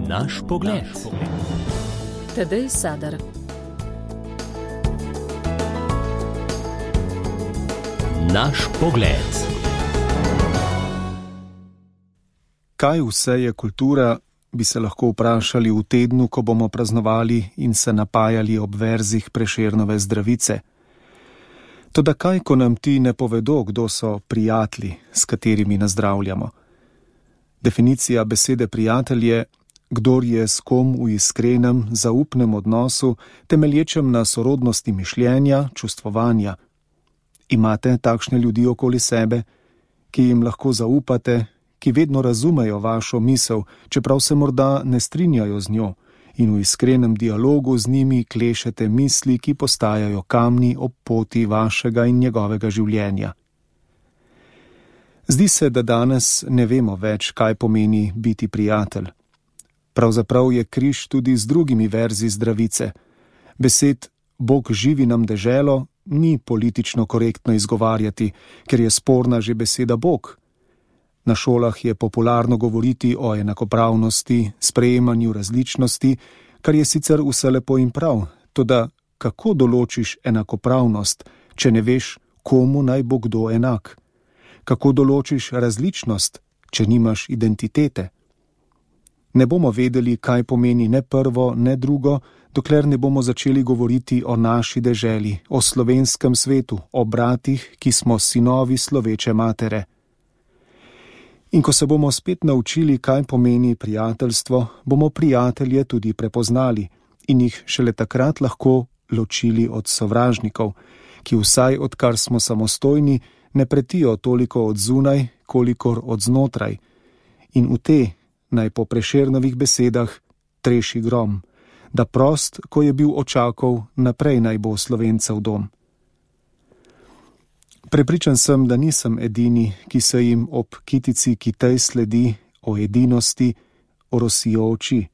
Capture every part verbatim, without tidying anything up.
Naš pogled. Tadej Sadar. Naš pogled. Kaj vse je kultura, bi se lahko vprašali v tednu, ko bomo praznovali in se napajali ob verzih Prešernove Zdravice. Toda kaj, ko nam ti ne povedo, kdo so prijatelji, s katerimi nazdravljamo? Definicija besede prijatelj je, kdor je s kom v iskrenem, zaupnem odnosu, temelječem na sorodnosti mišljenja, čustvovanja. Imate takšne ljudi okoli sebe, ki jim lahko zaupate, ki vedno razumejo vašo misel, čeprav se morda ne strinjajo z njo, in v iskrenem dialogu z njimi klešete misli, ki postajajo kamni ob poti vašega in njegovega življenja. Zdi se, da danes ne vemo več, kaj pomeni biti prijatelj. Pravzaprav je križ tudi z drugimi verzi Zdravice. Besed Bog živi nam deželo ni politično korektno izgovarjati, ker je sporna že beseda Bog. Na šolah je popularno govoriti o enakopravnosti, sprejemanju različnosti, kar je sicer vse lepo in prav, toda kako določiš enakopravnost, če ne veš, komu naj bo kdo enak? Kako določiš različnost, če nimaš identitete? Ne bomo vedeli, kaj pomeni ne prvo, ne drugo, dokler ne bomo začeli govoriti o naši deželi, o slovenskem svetu, o bratih, ki smo sinovi sloveče matere. In ko se bomo spet naučili, kaj pomeni prijateljstvo, bomo prijatelje tudi prepoznali in jih šele takrat lahko ločili od sovražnikov, ki vsaj odkar smo samostojni, ne pretijo toliko od zunaj, kolikor od znotraj. In v te, naj po Prešernovih besedah, treši grom, da prost, ko je bil očakov, naprej naj bo Slovencev dom. Prepričan sem, da nisem edini, ki se jim ob kitici, ki tej sledi, o edinosti, orosijo oči.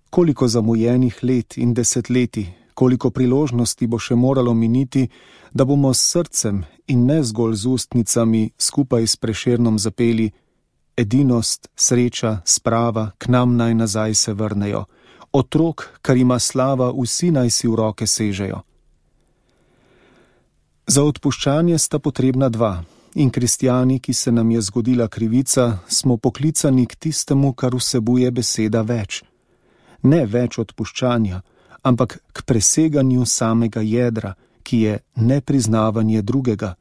Koliko zamujenih let in desetletij, koliko priložnosti bo še moralo miniti, da bomo s srcem in ne zgolj z ustnicami skupaj s Prešernom zapeli: edinost, sreča, sprava, k nam naj nazaj se vrnejo. Otrok, kar ima slava, vsi naj si v roke sežejo. Za odpuščanje sta potrebna dva, in kristjani, ki se nam je zgodila krivica, smo poklicani k tistemu, kar vsebuje beseda več. Ne več odpuščanja, ampak k preseganju samega jedra, ki je nepriznavanje drugega.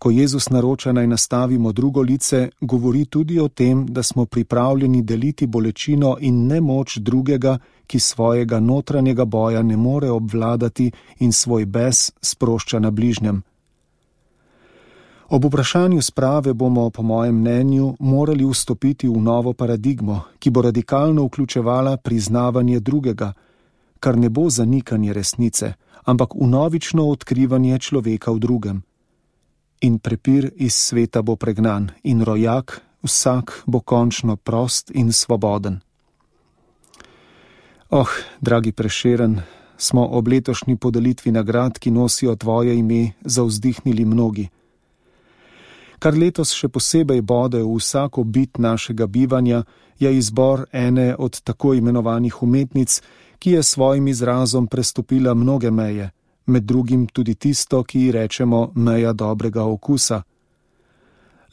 Ko Jezus naroča, naj nastavimo drugo lice, govori tudi o tem, da smo pripravljeni deliti bolečino in nemoč drugega, ki svojega notranjega boja ne more obvladati in svoj bes sprošča na bližnjem. Ob vprašanju sprave bomo, po mojem mnenju, morali vstopiti v novo paradigmo, ki bo radikalno vključevala priznavanje drugega, kar ne bo zanikanje resnice, ampak vnovično odkrivanje človeka v drugem. In prepir iz sveta bo pregnan in rojak, vsak bo končno prost in svoboden. Oh, dragi Prešeren, smo ob letošnji podelitvi nagrad, ki nosijo tvoje ime, zavzdihnili mnogi. Kar letos še posebej bode v vsako bit našega bivanja, je izbor ene od tako imenovanih umetnic, ki je svojim izrazom prestopila mnoge meje, med drugim tudi tisto, ki ji rečemo meja dobrega okusa.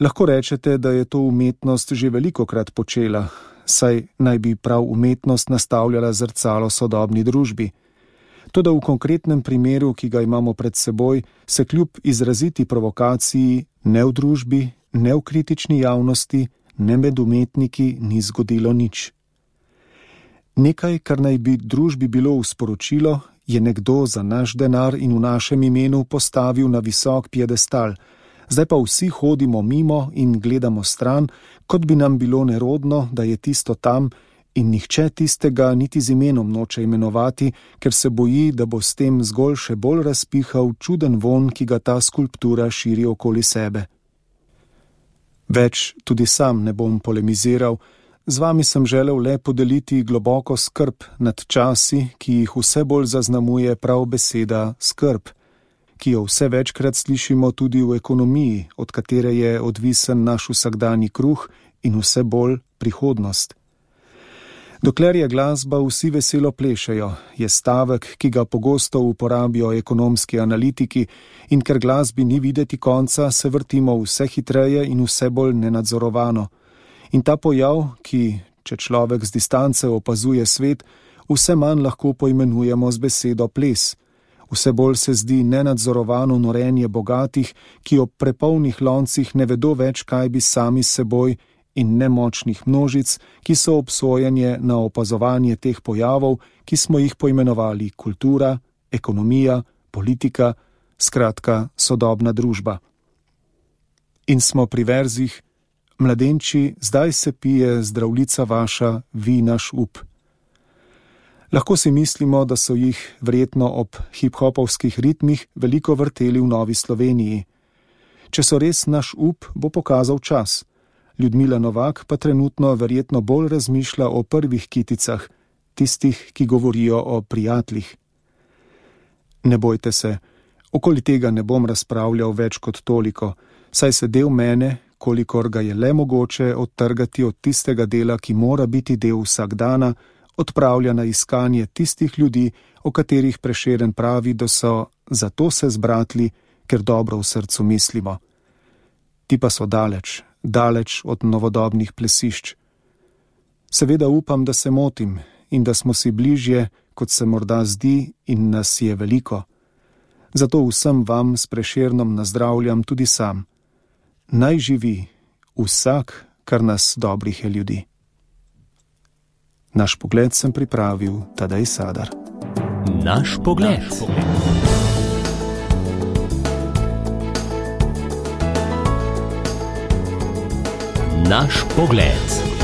Lahko rečete, da je to umetnost že velikokrat počela, saj naj bi prav umetnost nastavljala zrcalo sodobni družbi. Toda v konkretnem primeru, ki ga imamo pred seboj, se kljub izraziti provokaciji ne v družbi, ne v kritični javnosti, ne med umetniki ni zgodilo nič. Nekaj, kar naj bi družbi bilo v sporočilo, je nekdo za naš denar in v našem imenu postavil na visok piedestal, zdaj pa vsi hodimo mimo in gledamo stran, kot bi nam bilo nerodno, da je tisto tam, in nihče tistega niti z imenom noče imenovati, ker se boji, da bo s tem zgolj še bolj razpihal čuden vonj, ki ga ta skulptura širi okoli sebe. Več tudi sam ne bom polemiziral, z vami sem želel le podeliti globoko skrb nad časi, ki jih vse bolj zaznamuje prav beseda skrb, ki jo vse večkrat slišimo tudi v ekonomiji, od katere je odvisen naš vsakdanji kruh in vse bolj prihodnost. Dokler je glasba, vsi veselo plešejo, je stavek, ki ga pogosto uporabijo ekonomski analitiki, in ker glasbi ni videti konca, se vrtimo vse hitreje in vse bolj nenadzorovano. In ta pojav, ki, če človek z distance opazuje svet, vse manj lahko poimenujemo z besedo ples. Vse bolj se zdi nenadzorovano norenje bogatih, ki ob prepolnih loncih ne vedo več, kaj bi sami s seboj, in nemočnih množic, ki so obsojeni na opazovanje teh pojavov, ki smo jih poimenovali kultura, ekonomija, politika, skratka sodobna družba. In smo pri verzih: mladenči, zdaj se pije zdravljica vaša, vi naš up. Lahko si mislimo, da so jih verjetno ob hip-hopovskih ritmih veliko vrteli v Novi Sloveniji. Če so res naš up, bo pokazal čas. Ljudmila Novak pa trenutno verjetno bolj razmišlja o prvih kiticah, tistih, ki govorijo o prijateljih. Ne bojte se, okoli tega ne bom razpravljal več kot toliko, saj se del mene, kolikor ga je le mogoče odtrgati od tistega dela, ki mora biti del vsakdana, odpravlja na iskanje tistih ljudi, o katerih Prešeren pravi, da so zato se zbratli, ker dobro v srcu mislimo. Ti pa so daleč, daleč od novodobnih plesišč. Seveda upam, da se motim in da smo si bližje, kot se morda zdi, in nas je veliko. Zato vsem vam s Prešernom nazdravljam tudi sam. Naj živi vsak, kar nas dobrih je ljudi. Naš pogled sem pripravil Tadej Sadar. Naš pogled. Naš pogled.